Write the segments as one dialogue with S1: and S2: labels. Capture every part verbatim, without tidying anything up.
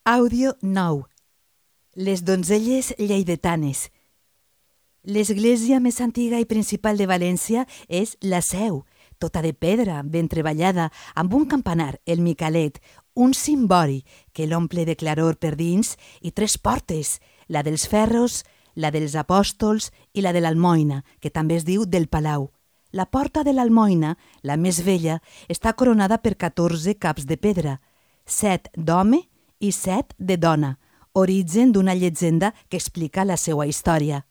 S1: Àudio nou. Les donzelles lleidatanes. L'església més antiga i principal de València és la Seu, tota de pedra, ben treballada, amb un campanar, el Micalet, un cimbori que l'omple de claror per dins i tres portes, la dels ferros, la dels apòstols i la de l'Almoina, que també es diu del Palau. La porta de l'Almoina, la més vella, està coronada per catorze caps de pedra, set d'home i set de dona, origen d'una llegenda que explica la seva història.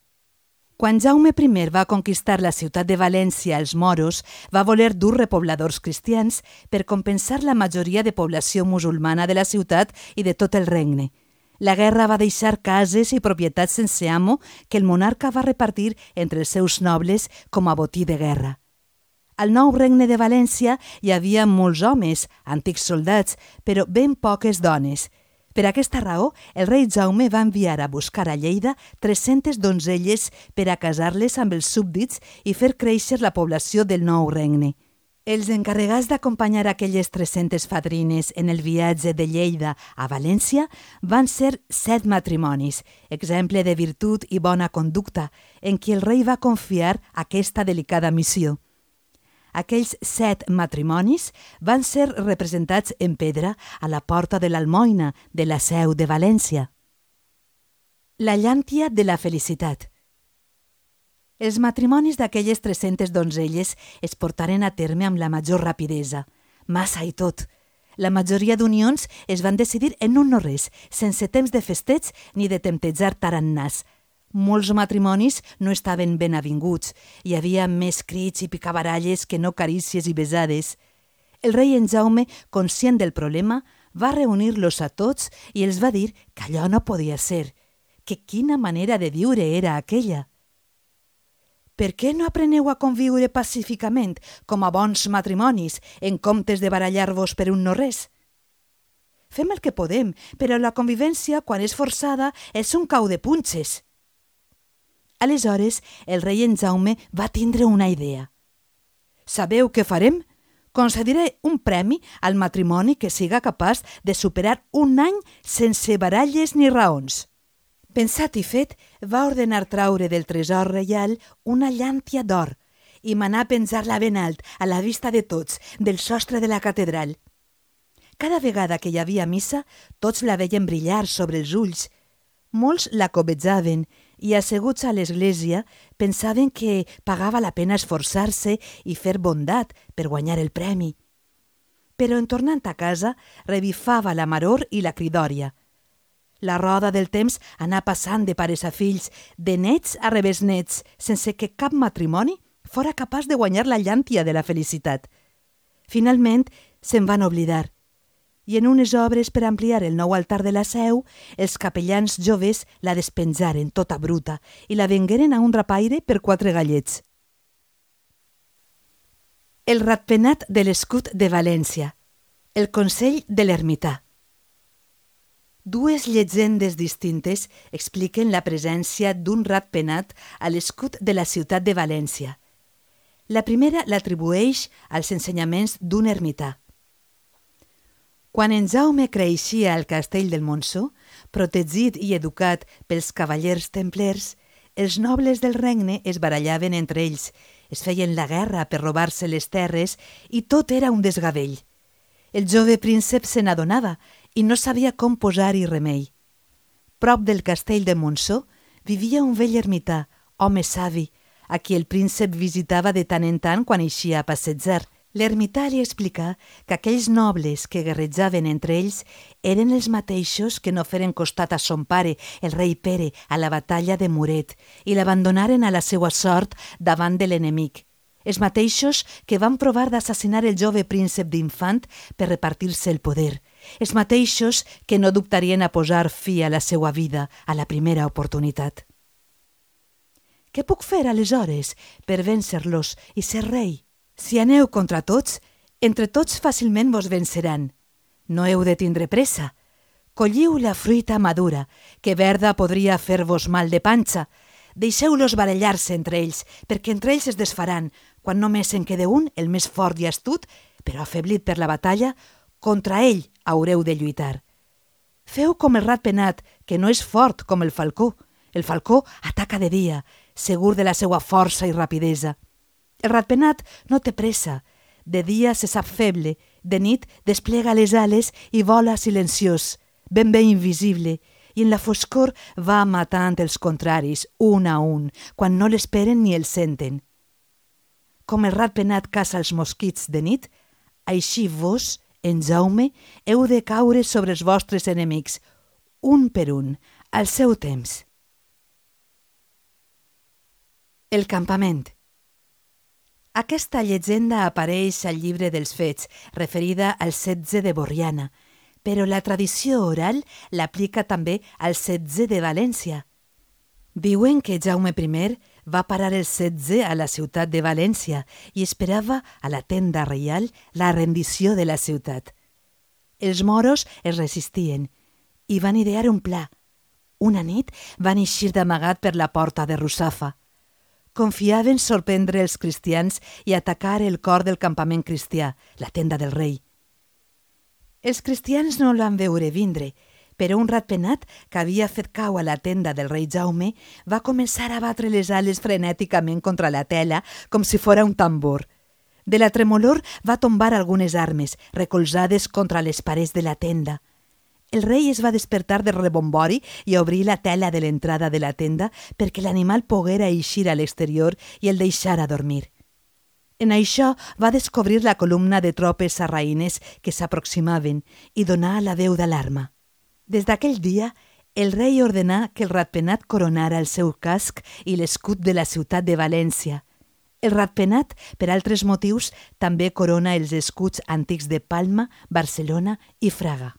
S1: Quan Jaume primer va conquistar la ciutat de València als moros, va voler dur repobladors cristians per compensar la majoria de població musulmana de la ciutat i de tot el regne. La guerra va deixar cases i propietats sense amo que el monarca va repartir entre els seus nobles com a botí de guerra. Al nou regne de València hi havia molts homes, antics soldats, però ben poques dones. Per aquesta raó, el rei Jaume va enviar a buscar a Lleida tres-centes donzelles per a casar-les amb els súbdits i fer créixer la població del nou regne. Els encarregats d'acompanyar aquelles tres-centes fadrines en el viatge de Lleida a València van ser set matrimonis, exemple de virtut i bona conducta, en qui el rei va confiar aquesta delicada missió. Aquells set matrimonis van ser representats en pedra a la porta de l'Almoina de la Seu de València. La llàntia de la felicitat. Els matrimonis d'aquelles tres-centes donzelles es portaren a terme amb la major rapidesa, massa i tot. La majoria d'unions es van decidir en un no res, sense temps de festeig ni de temptejar tarannàs. Molts matrimonis no estaven ben avinguts. Hi havia més crits i picabaralles que no carícies i besades. El rei en Jaume, conscient del problema, va reunir-los a tots i els va dir que allò no podia ser, que quina manera de viure era aquella. Per què no apreneu a conviure pacíficament, com a bons matrimonis, en comptes de barallar-vos per un no res? Fem el que podem, però la convivència, quan és forçada, és un cau de punxes. Aleshores, el rei en Jaume va tindre una idea. Sabeu què farem? Concediré un premi al matrimoni que siga capaç de superar un any sense baralles ni raons. Pensat i fet, va ordenar traure del tresor reial una llàntia d'or i manar penjar-la ben alt, a la vista de tots, del sostre de la catedral. Cada vegada que hi havia missa, tots la veien brillar sobre els ulls. Molts la cobejaven i, asseguts a l'església, pensaven que pagava la pena esforçar-se i fer bondat per guanyar el premi. Però en tornant a casa, revifava la maror i la cridòria. La roda del temps anà passant de pares a fills, de nets a rebesnets, sense que cap matrimoni fora capaç de guanyar la llàntia de la felicitat. Finalment, se'n van oblidar. I en unes obres per ampliar el nou altar de la Seu, els capellans joves la despenjaren tota bruta i la vengueren a un rapaire per quatre gallets. El ratpenat de l'escut de València. El consell de l'ermità. Dues llegendes distintes expliquen la presència d'un ratpenat a l'escut de la ciutat de València. La primera l'atribueix als ensenyaments d'un ermità. Quan en Jaume creixia al castell del Montsó, protegit i educat pels cavallers templers, els nobles del regne es barallaven entre ells, es feien la guerra per robar-se les terres i tot era un desgavell. El jove príncep se n'adonava i no sabia com posar-hi remei. Prop del castell de Montsó vivia un vell ermità, home savi, a qui el príncep visitava de tant en tant quan eixia a passejar. L'ermità li explicà que aquells nobles que guerrejaven entre ells eren els mateixos que no feren costat a son pare, el rei Pere, a la batalla de Muret i l'abandonaren a la seva sort davant de l'enemic. Els mateixos que van provar d'assassinar el jove príncep d'Infant per repartir-se el poder. Els mateixos que no dubtarien a posar fi a la seva vida a la primera oportunitat. Què puc fer aleshores per vèncer-los i ser rei? Si aneu contra tots, entre tots fàcilment vos venceran. No heu de tindre pressa. Colliu la fruita madura, que verda podria fer-vos mal de panxa. Deixeu-los barallar-se entre ells, perquè entre ells es desfaran, quan només en quede un, el més fort i astut, però afeblit per la batalla, contra ell haureu de lluitar. Feu com el ratpenat, que no és fort com el falcó. El falcó ataca de dia, segur de la seva força i rapidesa. El ratpenat no té pressa. De dia se sap feble, de nit desplega les ales i vola silenciós, ben bé invisible, i en la foscor va matant els contraris, un a un, quan no l'esperen ni el senten. Com el ratpenat caça els mosquits de nit, així vos, en Jaume, heu de caure sobre els vostres enemics, un per un, al seu temps. El campament. Aquesta llegenda apareix al llibre dels Fets, referida al setge de Borriana, però la tradició oral l'aplica també al setge de València. Diuen que Jaume primer va parar el setge a la ciutat de València i esperava a la tenda reial la rendició de la ciutat. Els moros es resistien i van idear un pla. Una nit van eixir d'amagat per la porta de Russafa. Confiaven sorprendre els cristians i atacar el cor del campament cristià, la tenda del rei. Els cristians no la van veure vindre, però un ratpenat que havia fet cau a la tenda del rei Jaume va començar a batre les ales frenèticament contra la tela com si fora un tambor. De la tremolor va tombar algunes armes, recolzades contra les parets de la tenda. El rei es va despertar de rebombori i obrir la tela de l'entrada de la tenda perquè l'animal poguera eixir a l'exterior i el deixara dormir. En això va descobrir la columna de tropes sarraïnes que s'aproximaven i donà la veu d'alarma. Des d'aquell dia, el rei ordenà que el ratpenat coronara el seu casc i l'escut de la ciutat de València. El ratpenat, per altres motius, també corona els escuts antics de Palma, Barcelona i Fraga.